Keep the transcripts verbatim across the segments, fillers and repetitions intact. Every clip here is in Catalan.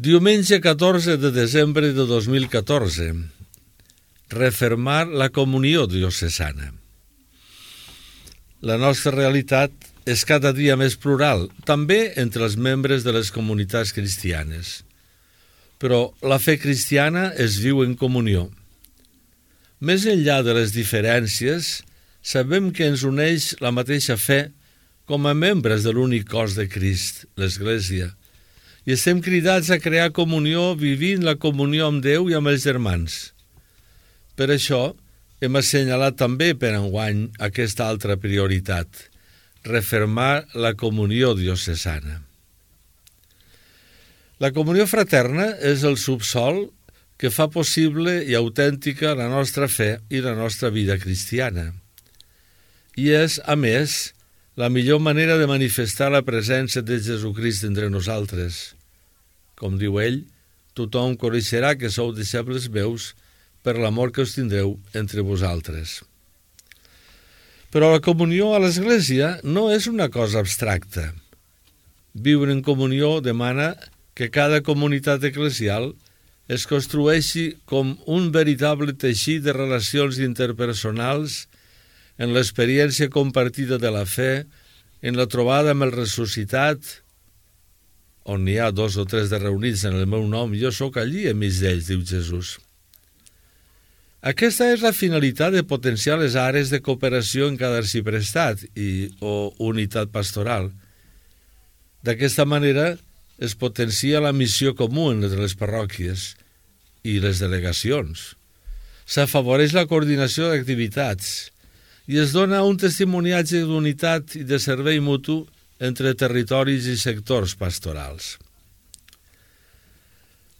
Diumenge catorze de desembre de dos mil catorze. Refermar la comunió diocesana. La nostra realitat és cada dia més plural, també entre els membres de les comunitats cristianes. Però la fe cristiana es viu en comunió. Més enllà de les diferències, sabem que ens uneix la mateixa fe com a membres de l'únic cos de Crist, l'Església, i estem cridats a crear comunió vivint la comunió amb Déu i amb els germans. Per això hem assenyalat també per enguany aquesta altra prioritat, refermar la comunió diocesana. La comunió fraterna és el subsòl que fa possible i autèntica la nostra fe i la nostra vida cristiana. I és, a més, la millor manera de manifestar la presència de Jesucrist entre nosaltres. Com diu ell, tothom coneixerà que sou deixebles meus per l'amor que us tindreu entre vosaltres. Però la comunió a l'Església no és una cosa abstracta. Viure en comunió demana que cada comunitat eclesial es construeixi com un veritable teixit de relacions interpersonals en l'experiència compartida de la fe, en la trobada amb el ressuscitat, on n'hi ha dos o tres de reunits en el meu nom, jo sóc allí enmig d'ells, diu Jesús. Aquesta és la finalitat de potenciar les àrees de cooperació en cada arxiprestat i, o unitat pastoral. D'aquesta manera es potencia la missió comú entre les parròquies i les delegacions. S'afavoreix la coordinació d'activitats i es dona un testimoniatge d'unitat i de servei mutu entre territoris i sectors pastorals.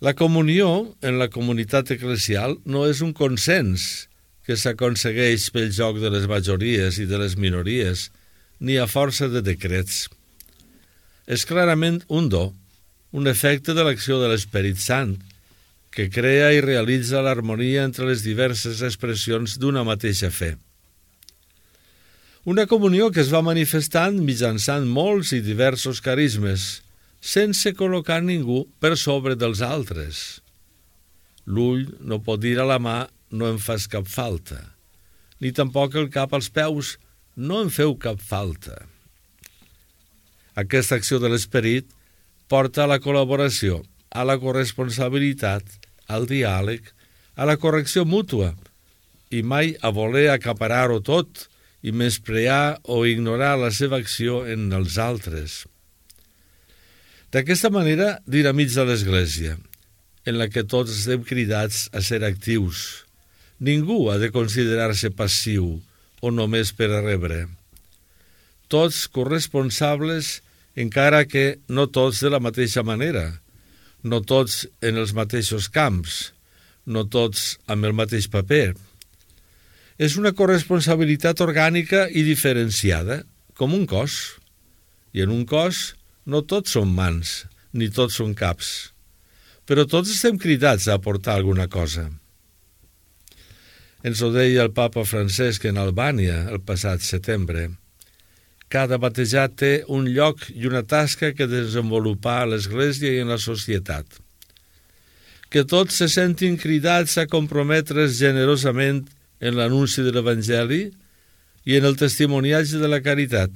La comunió en la comunitat eclesial no és un consens que s'aconsegueix pel joc de les majories i de les minories, ni a força de decrets. És clarament un do, un efecte de l'acció de l'Esperit Sant, que crea i realitza l'harmonia entre les diverses expressions d'una mateixa fe. Una comunió que es va manifestant mitjançant molts i diversos carismes, sense col·locar ningú per sobre dels altres. L'ull no pot dir a la mà, no em fas cap falta, ni tampoc el cap als peus, no em feu cap falta. Aquesta acció de l'Esperit porta a la col·laboració, a la corresponsabilitat, al diàleg, a la correcció mútua, i mai a voler acaparar-ho tot i menysprear o ignorar la seva acció en els altres. D'aquesta manera dinamitza l'Església, en la que tots estem cridats a ser actius. Ningú ha de considerar-se passiu o només per a rebre. Tots corresponsables, encara que no tots de la mateixa manera, no tots en els mateixos camps, no tots amb el mateix paper. És una corresponsabilitat orgànica i diferenciada, com un cos. I en un cos no tots són mans, ni tots són caps, però tots estem cridats a aportar alguna cosa. Ens ho deia el papa Francesc en Albània el passat setembre. Cada batejat té un lloc i una tasca que desenvolupar a l'Església i en la societat. Que tots se sentin cridats a comprometre's generosament en l'anunci de l'Evangeli i en el testimoniatge de la caritat,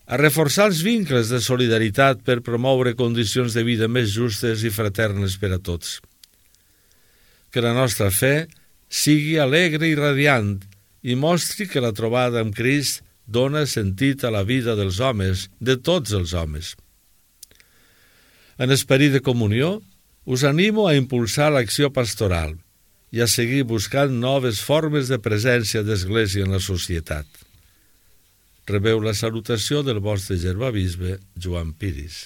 a reforçar els vincles de solidaritat per promoure condicions de vida més justes i fraternes per a tots. Que la nostra fe sigui alegre i radiant i mostri que la trobada amb Crist dona sentit a la vida dels homes, de tots els homes. En esperit de comunió, us animo a impulsar l'acció pastoral i a seguir buscant noves formes de presència d'Església en la societat. Rebeu la salutació del vostre germà bisbe Joan Piris.